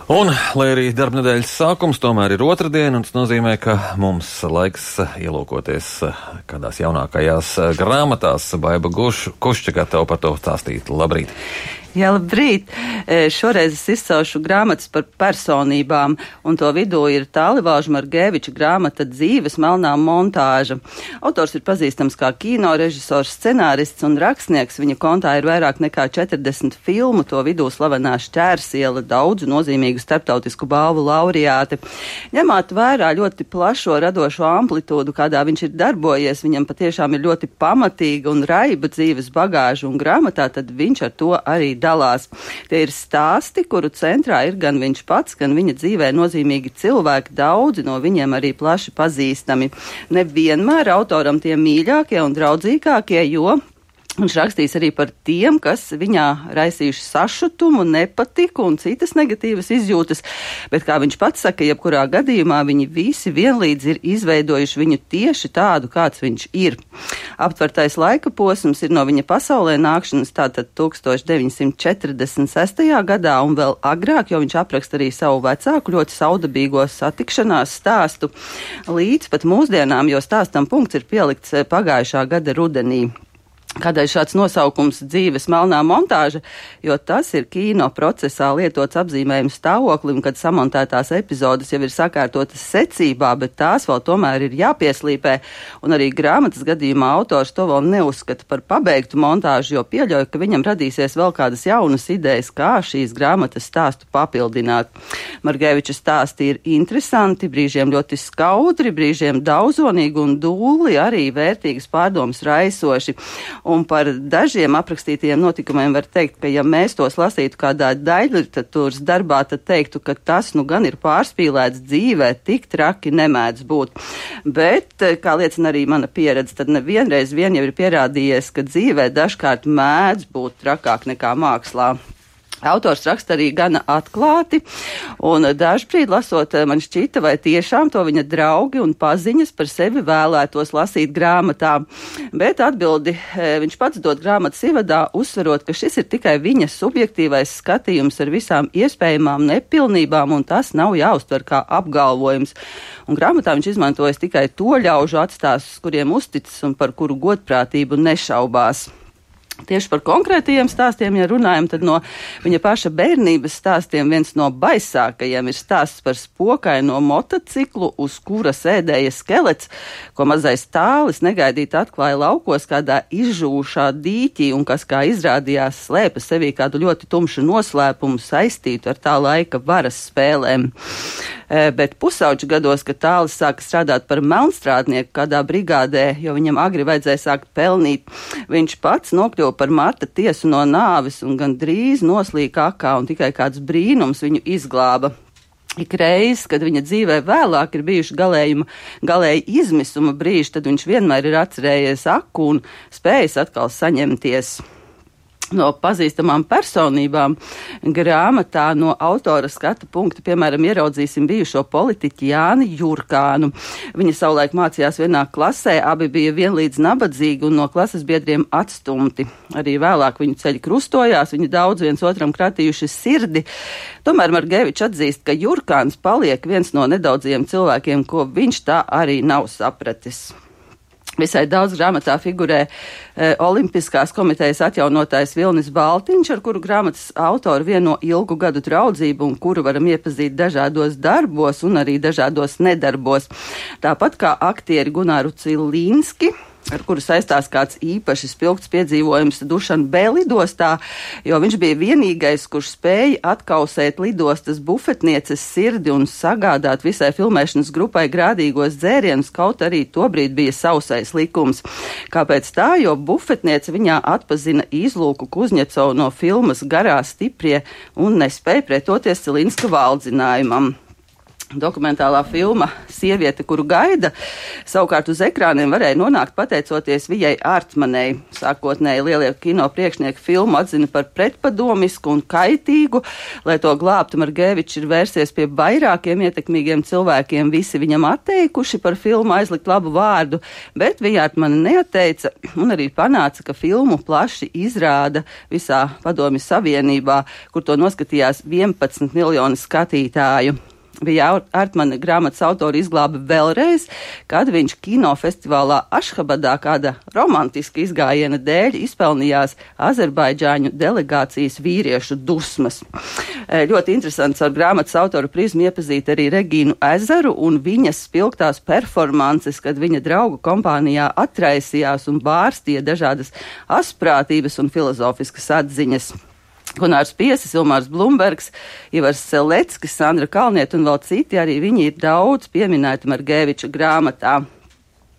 Un, lai arī darbnedēļas sākums tomēr ir otrdiena, un tas nozīmē, ka mums laiks ielūkoties kādās jaunākajās grāmatās. Baiba Kušķa gatava par to stāstīt. Labrīt! Jā, labrīt! Šoreiz es izcelšu grāmatas par personībām, un to vidū ir Tālivāža Margeviča grāmata Dzīves melnā montāža. Autors ir pazīstams kā kino režisors, scenārists un rakstnieks. Viņa kontā ir vairāk nekā 40 filmu, to vidū slavenā Šķērsiela, daudzu nozīmīgu starptautisku balvu laureāti. Ņemot vērā ļoti plašo radošo amplitūdu, kādā viņš ir darbojies, viņam patiešām ir ļoti pamatīga un raiba dzīves bagāža, un grāmatā tad viņš ar to arī dalās. Tie ir stāsti, kuru centrā ir gan viņš pats, gan viņa dzīvē nozīmīgi cilvēki, daudzi no viņiem arī plaši pazīstami. Nevienmēr autoram tie mīļākie un draudzīgākie, jo viņš rakstīs arī par tiem, kas viņā raisījuši sašutumu, nepatiku un citas negatīvas izjūtas, bet, kā viņš pats saka, jebkurā gadījumā viņi visi vienlīdz ir izveidojuši viņu tieši tādu, kāds viņš ir. Aptvertais laika posms ir no viņa pasaulē nākšanas tātad 1946. gadā un vēl agrāk, jo viņš apraksta arī savu vecāku ļoti saudabīgo satikšanās stāstu līdz pat mūsdienām, jo stāstam punkts ir pielikts pagājušā gada rudenī. Kādēļ šāds nosaukums Dzīves melnā montāža, jo tas ir kino procesā lietots apzīmējums stāvoklim, kad samontētās epizodes jau ir sakārtotas secībā, bet tās vēl tomēr ir jāpieslīpē, un arī grāmatas gadījumā autors to vēl neuzskata par pabeigtu montāžu, jo pieļauj, ka viņam radīsies vēl kādas jaunas idejas, kā šīs grāmatas stāstu papildināt. Margeviča stāsti ir interesanti, brīžiem ļoti skaudri, brīžiem daudzonīgi un dūli, arī vērtīgas pārdomas raisoši. Un par dažiem aprakstītajiem notikumiem var teikt, ka ja mēs tos lasītu kādā daļliteratūras darbā, tad teiktu, ka tas nu gan ir pārspīlēts dzīvē, tik traki nemēdz būt. Bet, kā liecina arī mana pieredze, tad nevienreiz vien jau ir pierādījies, ka dzīvē dažkārt mēdz būt trakāk nekā mākslā. Autors raksta arī gana atklāti, un dažbrīd lasot man šķita, vai tiešām to viņa draugi un paziņas par sevi vēlētos lasīt grāmatā. Bet atbildi viņš pats dod grāmatas ievadā, uzsverot, ka šis ir tikai viņa subjektīvais skatījums ar visām iespējamām nepilnībām, un tas nav jāuztver kā apgalvojums. Un grāmatā viņš izmantojas tikai to ļaužu atstāstus, kuriem uzticas un par kuru godprātību nešaubās. Tieši par konkrētajiem stāstiem, ja runājam, tad no viņa paša bērnības stāstiem viens no baisākajiem ir stāsts par spokaino motociklu, uz kura sēdēja skelets, ko mazais Tālis negaidīt atklāja laukos kādā izžūšā dīķī un kas, kā izrādījās, slēpa sevī kādu ļoti tumšu noslēpumu saistītu ar tā laika varas spēlēm. Bet pusauģu gados, kad Tālis sāka strādāt par melnstrādnieku kādā brigādē, jo viņam agri vajadzēja sākt pelnīt, viņš pats nokļuva par Marta tiesu no nāves un gan drīz noslīka akā, un tikai kāds brīnums viņu izglāba. Ikreiz, kad viņa dzīvē vēlāk ir bijuši galēji izmisuma brīži, tad viņš vienmēr ir atcerējies aku un spējis atkal saņemties. No pazīstamām personībām grāmatā no autora skatu punkta, piemēram, ieraudzīsim bijušo politiķi Jāni Jurkānu. Viņa savulaik mācījās vienā klasē, abi bija vienlīdz nabadzīgi un no klases biedriem atstumti. Arī vēlāk viņu ceļi krustojās, viņi daudz viens otram kratījuši sirdi. Tomēr Margevičs atzīst, ka Jurkāns paliek viens no nedaudziem cilvēkiem, ko viņš tā arī nav sapratis. Visai daudz grāmatā figurē Olimpiskās komitejas atjaunotājs Vilnis Baltiņš, ar kuru grāmatas autoru vieno ilgu gadu draudzību un kuru varam iepazīt dažādos darbos un arī dažādos nedarbos. Tāpat kā aktieri Gunāru Cilīnski, ar kuru saistās kāds īpaši spilgts piedzīvojums Dušanbe lidostā, jo viņš bija vienīgais, kurš spēja atkausēt lidostas bufetnieces sirdi un sagādāt visai filmēšanas grupai grādīgos dzērienus, kaut arī tobrīd bija sausais likums. Kāpēc tā? Jo bufetniece viņā atpazina Izlūku Kuzņecovu no filmas Garā stiprie un nespēja pretoties Cilinska valdzinājumam. Dokumentālā filma Sieviete, kuru gaida, savukārt uz ekrāniem varēja nonākt pateicoties Vijai Ārtmanei. Sākotnēji lielie kino priekšnieki filmu atzina par pretpadomisku un kaitīgu. Lai to glābtu, Margevičs ir vērsies pie vairākiem ietekmīgiem cilvēkiem. Visi viņam atteikuši par filmu aizlikt labu vārdu, bet Vija Ārtmane neatteica un arī panāca, ka filmu plaši izrāda visā Padomju Savienībā, kur to noskatījās 11 miljoni skatītāju. Vija Ārtmane grāmatas autori izglāba vēlreiz, kad viņš kinofestivālā Ašhabadā kāda romantiska izgājiena dēļ izpelnījās Azerbaidžāņu delegācijas vīriešu dusmas. Ļoti interesants ar grāmatas autoru prizmu iepazīt arī Regīnu Ezeru un viņas spilgtās performances, kad viņa draugu kompānijā atraisījās un bārstīja dažādas asprātības un filozofiskas atziņas. Gunārs Piesis, Ilmārs Blumbergs, Ivars Seleckis, Sandra Kalniete un vēl citi, arī viņi ir daudz pieminēti Margeviča grāmatā.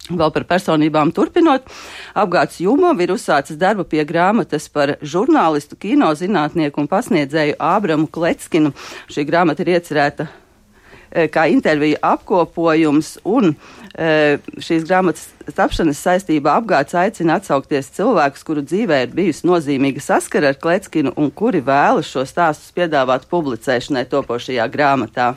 Vēl par personībām turpinot, Apgāds Jumov ir uzsācis darbu pie grāmatas par žurnālistu, kinozinātnieku un pasniedzēju Ābramu Kleckinu. Šī grāmata ir iecerēta kā intervija apkopojums, un šīs grāmatas tapšanas saistībā Apgāds aicina atsaukties cilvēkus, kuru dzīvē ir bijusi nozīmīga saskara ar Kleckinu un kuri vēlas šo stāstus piedāvāt publicēšanai topošajā grāmatā.